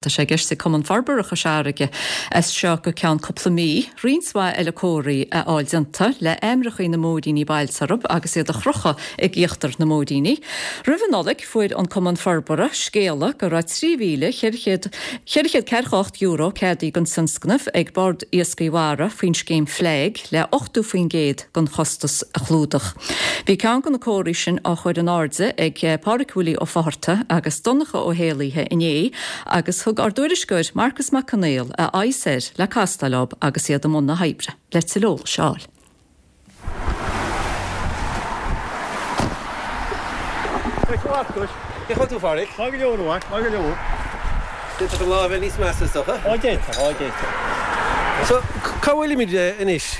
Tá sé i gceist ag Cumann Forbartha Chois Fharraige as seo go ceann cúpla mí, roinnt mhaith eile comharthaí a fháil déanta le hainmneacha na mbóithríní bailte orthu agus iad a chrochadh ag íochtar na mbóithríní. Roimh an Nollaig fuair an Cumann Forbartha scéala go raibh €3,400 €48 ceadaithe don tionscnamh ag Bord Iascaigh Mhara faoin scéim FLAG le 80% den chostas a chlúdach. Bhí ceann de na comharthaí sin á chur in airde ag Pádraic Willie Ó Fátharta agus Donncha Ó hÉalaithe inné agus thug ár dtuairisceoir Marcus Mac Conghail a aghaidh soir le castáil leo agus iad i mbun na hoibre le tuilleadh eolais a fháil. Cén chaoi a bhfuil tú, a Phádraic? Maith go leor, a mhac, maith go leor. D'fhéadfadh an lá a bheith níos measa, is dócha. Á, d'fhéadfadh, á, d'fhéadfadh. So, cá bhfuilimid anois?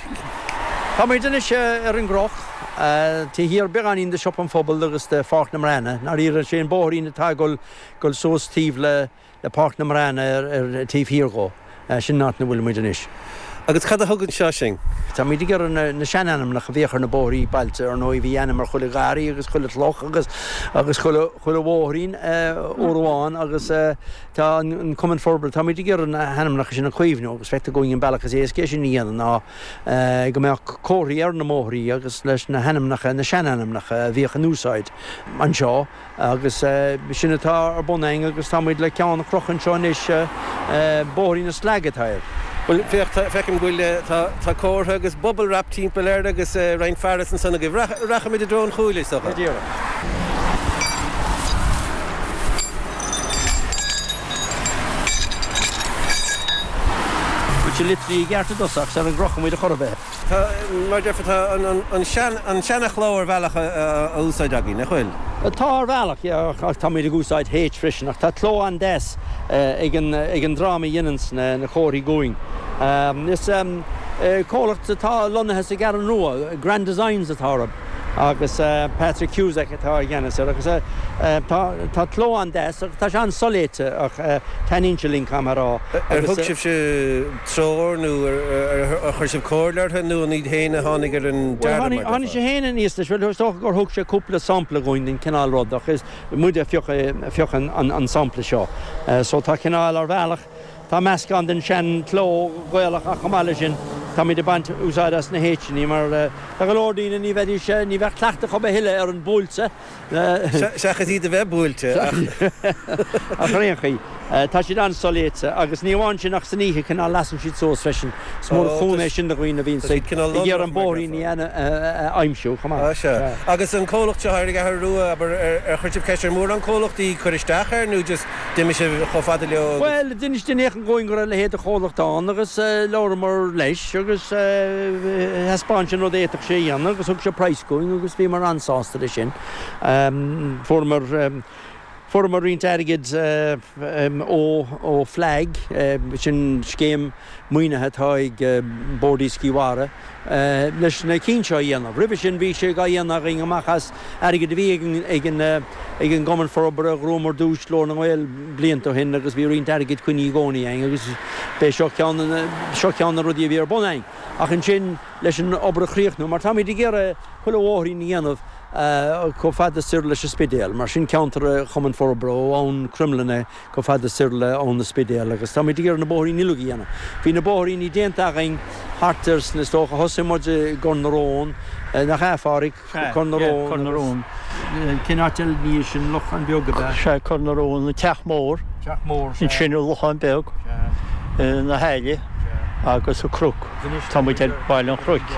Táimid anois ar an gCnoc, taobh thiar beagáinín de Siopa an Phobail agus de Pháirc na mBreanna. I ndáiríre, sé an bóithrín atá ag dul suas taobh le Páirc na mBreanna ar taobh thiar dhó. Sin an áit ina bhfuilimid anois. Agus cad a thug anseo sinn? Táimid ag iarraidh na seanainmneacha a bhíodh ar na bóithrí bailte. Ar ndóigh, bhí ainm ar chuile gharraí agus chuile chloch agus agus chuile chuile bhóithrín uair amháin agus tá an Cumann Forbartha, táimid ag iarraidh na hainmneacha sin a chaomhnú agus feictear dúinn an bealach is éasca é sin a dhéanamh ná go mbeadh comharthaí ar na mbóithrí agus leis na hainmneacha, na seanainmneacha a bhíodh in úsáid anseo. Agus sin atá ar bun againn agus tá muid le ceann a chrochadh anseo anois, Bóithrín na Slag atá air. Bhuel, féach, feicim go bhfuil, tá comhartha agus bubble wrap timpeall air agus roinnt fearas ansan agaibh. Rachaimid i dtreo an chúil, is dócha. Go díreach. Bhfuil sé litrithe i gceart i dtosach sar a gcrochfaidh muid a chor ar bith. Tá, mar a déarfá, tá an seana-chló ar bhealach á úsáid againn, nach bhfuil? Tá ar bhealach, yeah, ach táimid ag úsáid H freisin, ach tá cló an-deas ag an dream a dhéananns na comharthaí dhúinn. Is comhlacht atá lonnaithe sa gCeathrú Rua, Grand Designs atá orthu, agus Patrick Cusack atá i gceannas air, agus tá cló an-deas agus tá sé an-soléite ach taitníonn sé linn, caithfidh mé a rá. Ar thug sibhse treoir nó ar chuir sibh comhairle orthu nó an iad féin a tháinig ar an dearadh mar a déarfá? Tháinig sé féin aníos leis. Bhuel, is dócha gur thug sé cúpla sampla dhúinn den chineál rud ach is muide a phioc an sampla seo. So tá cineál ar bhealach, tá meascán den sean chló Gaelach ach chomh maith leis sin táimid ag baint úsáid as na H-annaí mar tá go leor daoine ní bheidís, ní bheadh cleachtadh acu a thuilleadh ar an buailte. Seachas iad a bheith buailte, ach. Ach ar aon chaoi, tá siad an-soléite agus ní amháin sin ach san oíche cineál lasann siad suas freisin. Is mór an chúnamh é sin do dhaoine a bhíonns ag iarraidh an bóithrín a aimsiú chomh maith. Á sea. Agus an comhlacht seo ar an gCeathrú Rua, abair, ar chuir sibh ceist ar mhórán comhlachtaí cur isteach air nó just d'imigh sibh chomh fada leo agus. Bhuel, d'inis duine éicint dhúinn go raibh a leithéid de chomhlacht ann agus labhramar leis agus thaispeáin sé an rud a fhéadfadh sé a dhéanamh agus thug sé praghas dhúinn agus bhíomar an-sásta leis sin. Fuaireamar, fuaireamar roinnt airgid ó, ó FLAG, sin scéim maoinithe atá ag Bord Iascaigh Mhara, leis na cinn seo a dhéanamh. Roimhe sin bhí sé á dhéanamh againn amach as airgead a bhí ag an ag an gCumann Forbartha. Ghnóthaíomar duais Ghlór na nGael blianta ó shin agus bhí roinnt airgid coinnithe i gcónaí againn agus b'é seo ceann de na seo ceann de na rudaí a bhí ar bun againn. Ach ansin leis an obair a chríochnú, mar táimid ag iarraidh chuile bhóithrín a dhéanamh chomh fada soir leis an Spidéal, mar sin ceantar an Chumainn Forbartha ó Abhainn Cromghlinne chomh fada soir le Abhainn an Spidéil agus táimid ag iarraidh na bóithríní uilig a dhéanamh. Bhí na bóithríní déanta againn thart ar sna, is dócha, thosaigh muid i gCor na Rón, nach ea, a Pháraic? Cor na Rón. Cor na Rón. Cén áit eile ina dhiaidh sin? Lochán Beag ab ea? Sea, Cor na Rón, an Teach Mór. Teach Mór, sea. Ansin an Lochán Beag, na hAille agus an Cnoc. Tá muid ar Bhaile an Chnoic.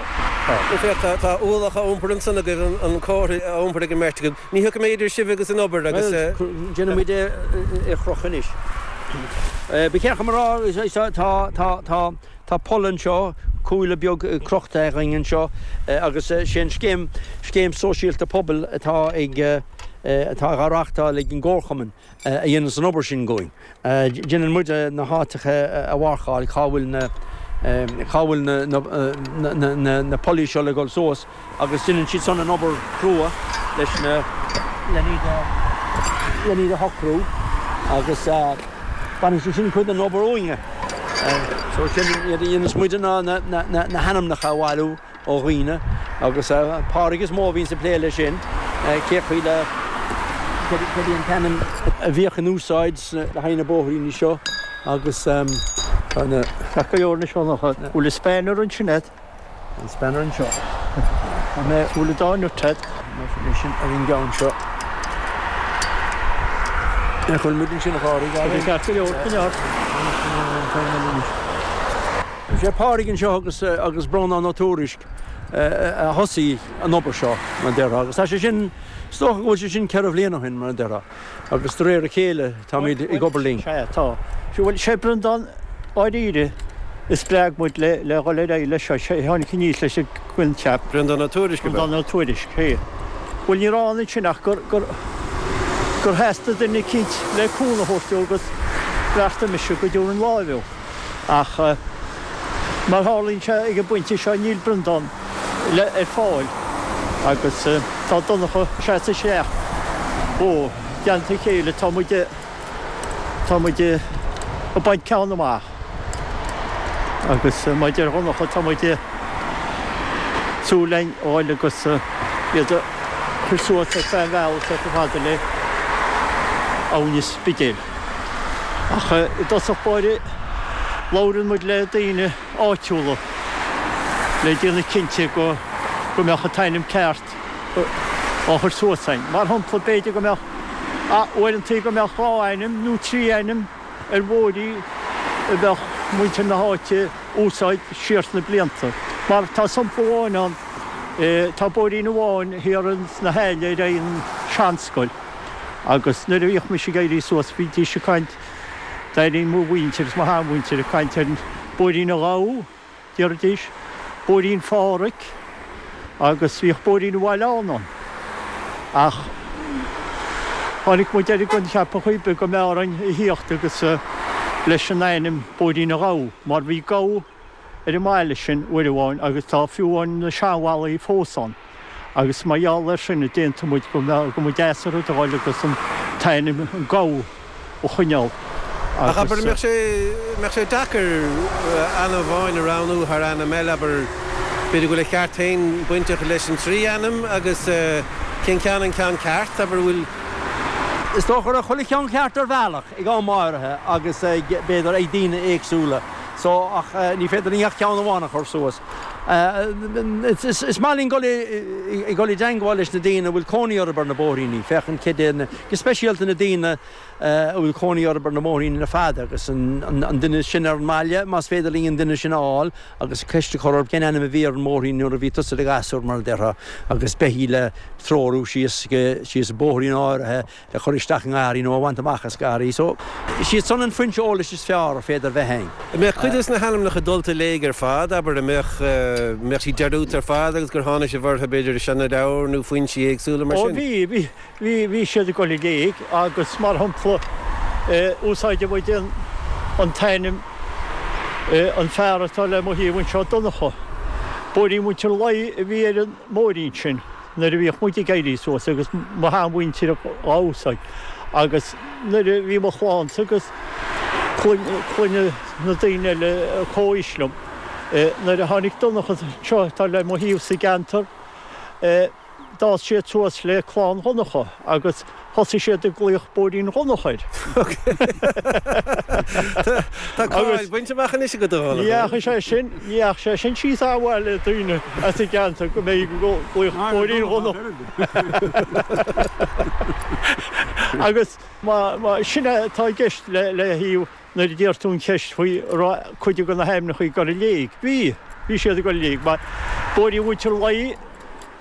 Féach, tá ualach á iompar ansan agaibh, an comhartha á iompar ag an mbeirt agaibh. Ní thiocfaidh mé idir sibh agus an obair agus. Bhuel, déanfaidh muid é a chrochadh anois. Ba cheart dom a rá, tá, tá, tá, tá poll anseo, cuaille beag crochta againn anseo agus sé an scéim, scéim sóisialta pobail atá ag, atá á reáchtáil ag an gComharchumann a dhéananns an obair sin dhúinn. Déanann muide na háiteacha a mharcáil, cá bhfuil na, cá bhfuil na, na, na, na pollaí seo le dhul suas agus déanann siad san an obair chrua leis na, len iad a, len iad a shocrú agus baineann siad sin cuid den obair uainne. So sin iad a dhéanas muide ná na, na, na, na hainmneacha a bhailiú. ó dhaoine agus Pádraig is mó a bhíonns ag plé leis sin, cé chaoi le. céard é an t-ainm a bhíodh in úsáid le haghaidh na bóithríní seo agus tá na. Ceart go leor anois a Dhonncha. Bhfuil an spanner ansin agat? An spanner anseo. Tá mé. Bhfuil an dá nut agat? Mar sin ar an gceann seo. Nach bhfuil muid ansin a Phádraig? Tá sé ceart go leor, coinnigh ort. Sé Pádraig anseo agus agus Breandán Ó Tuairisg a thosaigh an obair seo, mar a déarfá, agus tá sé sin, is dócha go bhfuil sé sin 4 bhliain ó shin, mar a déarfá, agus de réir a chéile táimid ag obair linn. Sea, tá. Bhuel, sé Breandán dáiríre a spreag muid le le dhul ar aghaidh leis seo, sé a tháinig aníos leis an gcoincheap. Breandán Ó Tuairisg, ab ea? Breandán Ó Tuairisg, sea. Bhuel, ní raibh ann ansin ach gur, gur, gur theastaigh duine eicínt le cúnamh a thabhairt dó agus bheartaigh mise go dtabharfainn láimh dó. Ach mar a tharlaíonn sé ag an bpointe seo níl Breandán le ar fáil agus tá Donncha ag seasamh isteach. Ó, i dteannta a chéile tá muid, tá muid ag baint ceann amach. Agus maidir le Donncha tá muid ag súil linn a fháil agus iad a chur suas ar feadh an bhealaigh chomh fada le Abhainn an Spidéil. Ach i dtosach báire labhrann muid le daoine áitiúla le déanamh cinnte go go mbeadh an t-ainm ceart á chur suas againn. Mar shampla, b'fhéidir go mbeadh, uaireantaí go mbeadh 2 ainm nó 3 ainm ar bhóithrí a bheadh muintir na háite úsáid siar sna blianta. Mar tá sampla amháin ann, tá bóithrín amháin thiar sna hAille ar aghaidh an seanscoil. Agus nuair a bhíodh mise ag éirí suas bhídís ag caint, d'airínn mo mhuintir is mo sheanmhuintir ag caint ar Bóithrín an Ghabha, déarfaidís, Bóithrín Phádhraic agus bhíodh Bóithrín an Bhaileáin ann. Ach tháinig muid ar an gcoincheap ar chaoi ar bith go mb'fhearr againn a thíocht agus leis an ainm Bóithrín an Ghabha mar bhí gabha ar an mbaile sin uair amháin agus tá fiú amháin na seanbhallaí fós ann. Agus mar gheall air sin a d'aontaigh muid go mba go mba deas an rud a dhul agus an t-ainm an Gabha a choinneáil Ach abair, agus. mbeadh sé, mbeadh sé deacair ainm amháin a roghnú thar ainm eile, abair, b'fhéidir go bhfuil a cheart féin bainteach leis an trí ainm agus cén ceann an ceann ceart, abair, bhfuil. Is dócha go raibh chuile cheann ceart ar bhealach ag am áirithe agus ag, b'fhéidir, ag daoine éagsúla so ach ní féidir linn ach ceann amháin a chur suas. Is maith linn dul i dul i dteangmháil leis na daoine a bhfuil cónaí orthu ar na bóithríní, féachaint céard é na, go speisialta na daoine a bhfuil cónaí orthu ar na bóithríní le fada agus an duine sin ar an mbaile, más féidir linn an duine sin a fháil agus ceist a chur orthu cén ainm a bhí ar an mbóithrín nuair a bhí tusa i do ghasúr mar a déarfá agus beithígh le treorú síos síos bóithrín áirithe le cur isteach i ngarraí nó a bhaint amach as garraí. So, is iad san an foinse eolais is fearr ar féidir bheith againn. An mbeadh cuid des na hainmneacha dulta i léig ar fad, abair, an mbeadh, mbeadh siad dearúdta ar fad agus gur tháinig sibh orthu, b'fhéidir, i seanleabhair nó foinsí éagsúla mar Ó sin? bhí, bhí, bhí, bhí siad ag dul i léig agus mar shampla, úsáideann muid an, an t-ainm, an fear atá le mo thaobh anseo, Donncha. Bóithrín Mhuintir Laoi a bhí ar an mbóithrín sin. nuair a bhíodh muid ag éirí suas agus mo sheanmhuintir á úsáid agus nuair a bhí mo chlannsa agus clainne na daoine eile comhaois liom, nuair a tháinig Donncha anseo atá le mo thaobh sa gceantar, d'fhás siad suas le clann Dhonncha agus thosaigh siad ag glaoch Bóithrín Dhonncha air. Tá cáil bainte amach anois agat a Dhonncha. Ní dheachaigh sé sin, ní dheachaigh sé sin síos an-mhaith le daoine as an gceantar go mbeidh ag glaoch Bóithrín Dhonncha. Agus sin é atá i gceist le thaobh Nuair a d'iarr tú an cheist faoi an raibh cuid de na hainmneacha ag dul i léig, bhí. Bhí siad ag dul i léig mar Bóithrín Mhuintir Laoi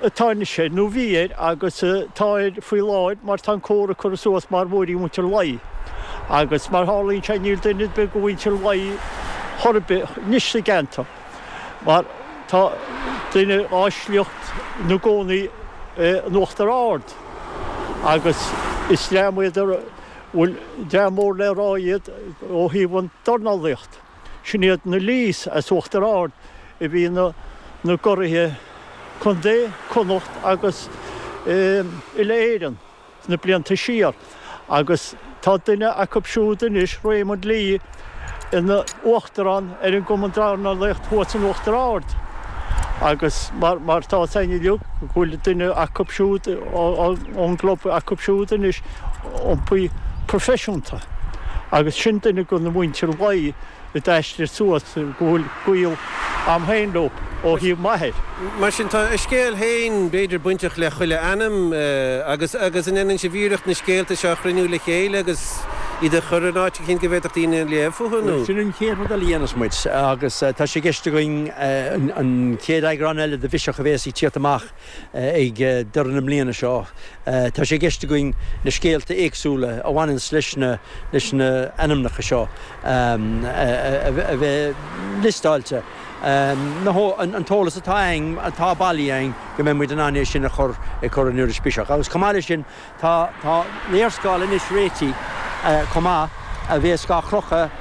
atá anois air, nó bhí air agus tá air faoi láthair mar tá an comhartha curtha suas mar Bhóithrín Mhuintir Laoi. Agus mar tharlaíonn sé níl duine ar bith de Mhuintir Laoi chor ar bith anois sa gceantar mar tá duine dá sliocht ina gcónaí in Uachtar Ard agus is dream iad a bhfuil dream mór le rá iad ó thaobh an dornálaíocht. Sin iad na Lees as Uachtar Ard a bhí ina gcuraithe contae, Connacht agus uile-Éireann sna blianta siar agus tá duine acu siúd anois, Raymond Lee, ina uachtarán ar an gCumann Dornálaíocht thuas in Uachtar Ard. Agus mar mar tá fhios againn uilig go bhfuil duine acu siúd ón gclub acu siúd anois iompaithe proifisiúnta agus sin duine de na muintir Laoi a d'aistrigh suas go bhfuil gaol a'm féin leo ó thaobh m'athair. Mar sin tá a scéal féin b'fhéidir bainteach le chuile ainm agus agus an ndéanann sibh iarracht na scéalta seo a chruinniú le chéile agus iad a chur in áit eicínt go bhféadfadh daoine léamh fúthu nó? Sin an chéad rud eile a dhéanfas muid agus tá sé i gceist againn an chéad eagrán eile de Bhiseach a bhéas ag tíocht amach ag deireadh na mbliana seo. Tá sé i gceist againn na scéalta éagsúla a bhaineanns leis na leis na ainmneacha seo a bheith liostáilte. An t-eolas atá againn, atá bailithe againn, go mbeidh muid in ann é sin a chur ag cur in iris Biseach. Agus chomh maith leis sin, tá tá léarscáil anois réitithe chomh maith a bhéas dhá chrochadh,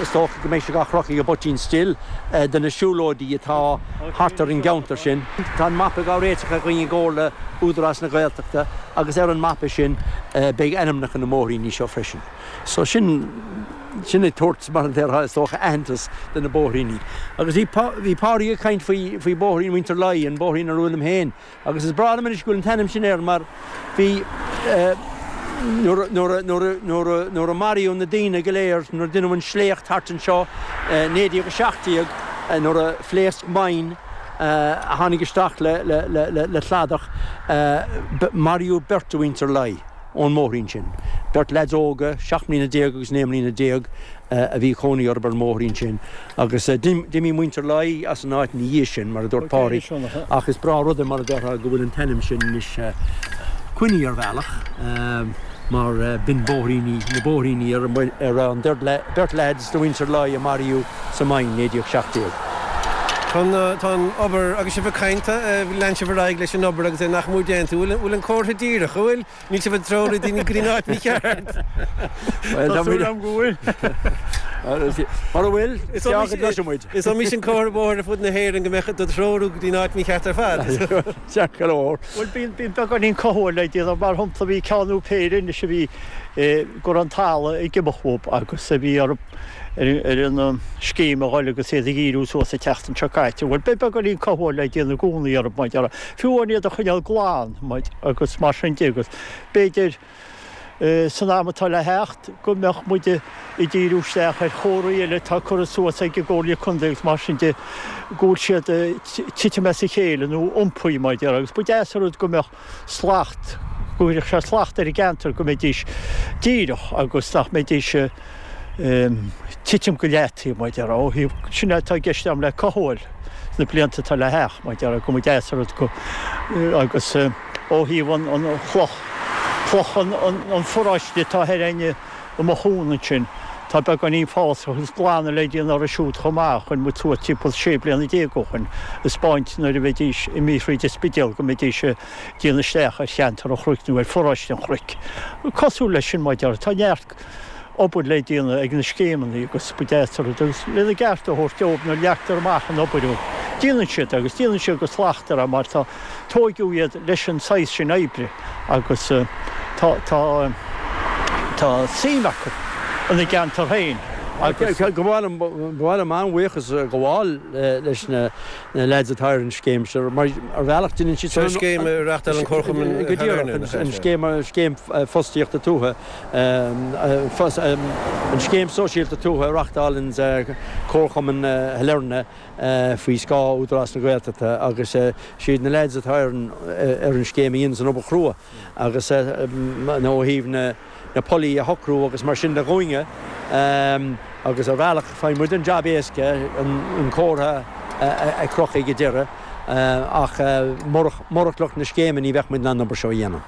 is dócha go mbeidh sé dhá chrochadh ag Poitín Stil, de na siúlóidí atá thart ar an gceantar sin. Tá an mapa dhá réiteach againn i gcomhar le Údarás na Gaeltachta agus ar an mapa sin beidh ainmneacha na mbóithríní seo freisin. So sin, sin ag tabhairt, mar a déarfá, is dócha, aitheantas do na bóithríní. Agus bhí, bhí Pádraig ag caint faoi, faoi bóithrín Mhuintir Laoi, an bóithrín ar bhfuilim féin. Agus is breá liom anois go bhfuil an t-ainm sin air mar bhí, eh, nuair a, nuair a, nuair a, nuair a, nuair a maraíodh na daoine go léir, nuair a deineadh an sléacht thart anseo, eh, 1917, eh, nuair a phléasc mine, eh, a tháinig isteach le, le, le, le, le cladach, eh, maraíodh beirt de Mhuintir Laoi. ón mbóithrín sin. Beirt leaids óga, 17 mbliana agus 19 mbliana a bhí cónaí orthu ar an mbóithrín sin agus d'imigh muintir Laoi as an áit ina dhiaidh sin, mar a dúirt Pádraig, ach is breá rud é mar a déarfá go bhfuil an t-ainm sin anois coinnithe ar bhealach mar b'in bóithríní, na bóithríní ar raibh an beirt leaids de mhuintir Laoi a maraíodh sa mine, 1917. Tá an obair, agus sibh ag caint, lean sibh ar aghaidh leis an obair agus é nach mór déanta. Bhfuil an comhartha díreach? An bhfuil? Níl sibh ag treorú daoine go dtí an áit mícheart. Tá súil agam go bhfuil. Mura bhfuil, is gearr go gcloisfidh muid. Is iomaí sin comhartha bóthair ar fud na hÉireann go mbeadh do threorú go dtí an áit mícheart ar fad. Ceart go leor. Bhuel, bíonn beagáinín cothabháil le déanamh. Mar shampla, bhí ceann nó péire anois a bhí go raibh an talamh ag imeacht uathu agus a bhí orthu ar an scéim a dhul agus iad a dhíriú suas an tseachtain seo caite. Bhuel, beidh beagáinín cothabháil le déanamh i gcónaí orthu, mar a déarfá, fiú amháin iad a choinneáil glan, agus mar sin de, agus b'fhéidir san am atá le theacht go mbeadh muid ag díriú isteach ar chomharthaí eile atá curtha suas ag an gComhairle Contae agus mar sin de, go bhfuil siad ag titim as a chéile nó iompaithe, mar a déarfá, agus ba deas an rud go mbeadh slacht, go gcuirfeadh sé slacht ar an gceantar go mbeidís díreach agus nach mbeidís ag titim go leataobh, mar a déarfá, ó thaobh, sin é atá i gceist agam le cothabháil sna blianta atá le theacht, mar a déarfá, go mba deas an rud go, agus ó thaobh an chloch, cloch an pharóiste atá thoir againne i Mathúna ansin, tá beagáinín fásach agus glanadh le déanamh orthu siúd chomh maith, a chuir muid suas timpeall 16 bliana ó shin, a 'speáint nuair a bheidís imithe thríd an Spidéal go mbeidís ag déanamh isteach ar cheantar an Chnoic nó ar pharóiste an Chnoic. Cosúil leis sin, mar a déarfá, tá neart obair le déanamh ag na scéimeanna agus ba deas an rud agus lena gceart a thabhairt dóibh nuair a leagtar amach an obair dóibh. Déanann siad agus déanann siad go slachtmhar é mar tá tóigeadh iad leis an saghas sin oibre agus tá tá tá suim acu ina gceantar féin agus. Ba mhaith liom ba mhaith liom an-bhuíochas a ghabháil leis na na leaids atá ar an scéim seo mar ar bhealach déanann siad Seo scéim a reáchtáil an Comharchumann Go díreach, an scéim scéim fostaíochta tuaithe An Scéim Sóisialta Tuaithe a reáchtálann Comharchumann Shailearna faoi scáth Údarás na Gaeltachta agus siad na leaids atá ar an scéim a dhéananns an obair chrua agus ó thaobh na pollaí a shocrú agus mar sin de dhúinne agus ar bhealach faigheann muid an jab éasca an comhartha a chrochadh ag an deireadh. Ach murach lucht na scéime ní bheadh muid in ann an obair seo a dhéanamh.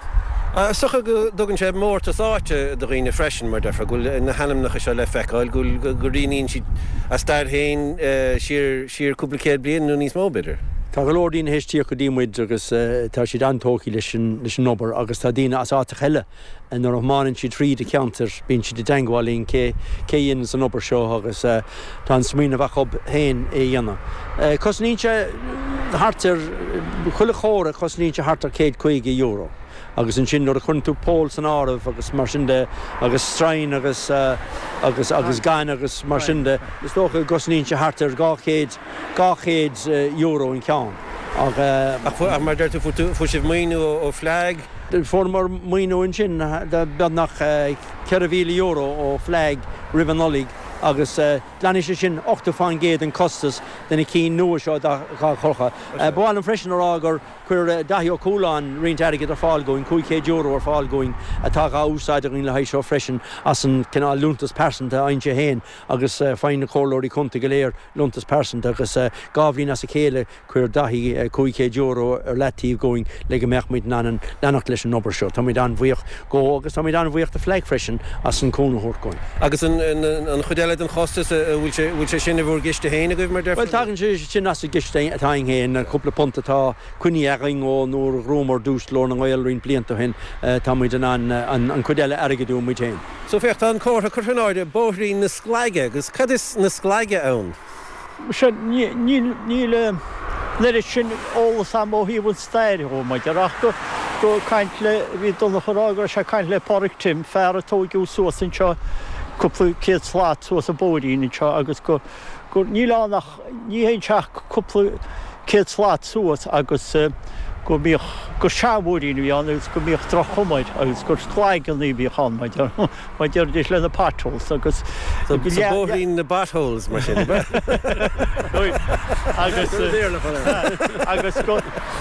Is dócha go dtugann sé mórtas áite do dhaoine freisin, mar deirfeá, go bhfuil na hainmneacha seo le feiceáil, go bhfuil, go rianaíonn siad a stair féin siar, siar cúpla céad bliain nó níos mó, b'fhéidir. Tá go leor daoine théis tíocht go dtí muid agus tá siad an-tógtha leis an, leis an obair agus tá daoine as áiteacha eile Nuair a thiomáineann siad thríd an cheantar bíonn siad i dteangmháil linn cé cé a dhéananns an obair seo agus tá an smaoineamh acu féin é a dhéanamh. Cosnaíonn sé thart ar, chuile chomhartha cosnaíonn sé thart ar €150. Agus ansin nuair a chuireann tú poll san áireamh agus mar sin de agus stroighin agus agus agus gaineamh agus mar sin de, is dócha go gcosnaíonn sé thart ar 200, €200 an ceann. Ach. Ach mar a deir tú, fuair sibh maoiniú ó FLAG? Fuaireamar maoiniú ansin de beagnach €4,000 ó FLAG roimh an Nollaig agus glanfaidh sé sin 80% den costas de na cinn nua seo dá gcrochadh. Ba mhaith liom freisin a rá gur chuir Daithí Ó Cualáin roinnt airgid ar fáil dhúinn, €500 ar fáil dhúinn atá dhá úsáid againn le haghaidh seo freisin as an cineál liúntas pearsanta a fhaigheann sé féin agus faigheann na comhairleoirí contae go léir liúntas pearsanta agus dhá bhliain as a chéile Chuir Daithí €500 ar leataobh dhúinn le go mbeadh muid in ann leanacht leis an obair seo. Táimid an-bhuíoch dhó agus táimid an-bhuíoch do FLAG freisin as an cúnamh a thabhairt dhúinn. Agus an chuid eile den chostas, an bhfuil sé sin i bhur gciste féin agaibh, mar déarfá? Bhuel, tagann sé sin as an gciste atá againn féin, an cúpla punt atá coinnithe againn ó nuair a ghnóthaíomar duais Ghlór na nGael roinnt blianta ó shin, tá muid in ann an chuid eile a airgeadú muid féin. So féach, tá an comhartha curtha in airde, Bóithrín na Sclaige, agus cad is na Sclaige ann? Sea, níl an oiread sin eolas a'm ó thaobh an stair dhó, maidir, ach go, go caint le, bhí Donncha ag rá go raibh sé ag caint le Pádraig Tim, fear a tóigeadh suas anseo cúpla céad slat suas an bóithrín anseo agus go, gur, níl ann ach, ní théann sé ach cúpla céad slat suas agus go mbíodh, gur seanbhóithrín a bhí ann agus go mbíodh droch-chuma air agus gur sclaigeanna a bhíodh ann, maidir. Mar deiridís le na potholes agus. So bóithrín na bpotholes mar sin, ab ea? Agus agus go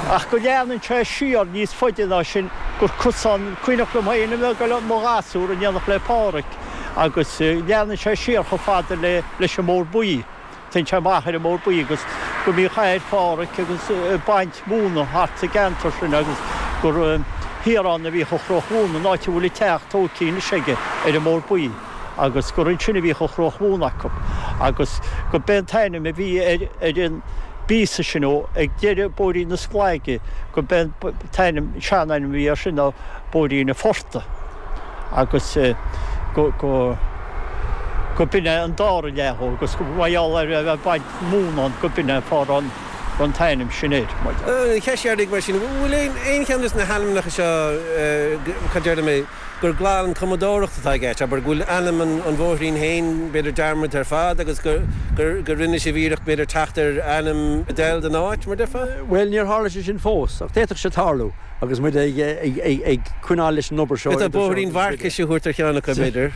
ach go leanann sé siar níos faide ná sin gur cosán cuimhneach liom féin a bheith ag dul i mo ghasúr in éineacht le Pádhraic agus leanann sé siar chomh fada le leis an mBóthar Buí. Téann sé amach ar an mBóthar Buí agus go mbíodh athair Phádhraic agus ag baint mhóna thart sa gceantar sin agus gur thiar ann a bhíodh an chruach mhóna, an áit a bhfuil an teach tóigthe anois aige ar an mBóthar Buí agus gur ansin a bhíodh an chruach mhóna acu agus go b'é an t-ainm a bhí ar ar an bpíosa sin ó ag deireadh Bóithrín na Sclaige go b'é an t-ainm, sean-ainm a bhí air sin ná Bóithrín an Phortaigh. agus go go go b'in é an dara leath dhó agus mar gheall ar a bheith ag baint móna ann go b'in é an fáth a raibh an t-ainm sin air. An cheist dheiridh mar sin, bhfuil aon aon cheann de na hainmneacha seo, cad déarfaidh mé, gur glan cumadóireacht atá i gceist, abair, go bhfuil ainm an an bhóithrín féin b'fhéidir dearmadta ar fad agus gur gur gur rinne sibh iarracht b'fhéidir teacht ar ainm a d'fheil don áit, mar déarfá? Bhuel, níor tharla sé sin fós, ach d'fhéadfadh sé tarlú. Agus muid ag coinneáil leis an obair seo idir seo agus Bóithrín Mharcais a thabhairt ar cheann acu, b'fhéidir.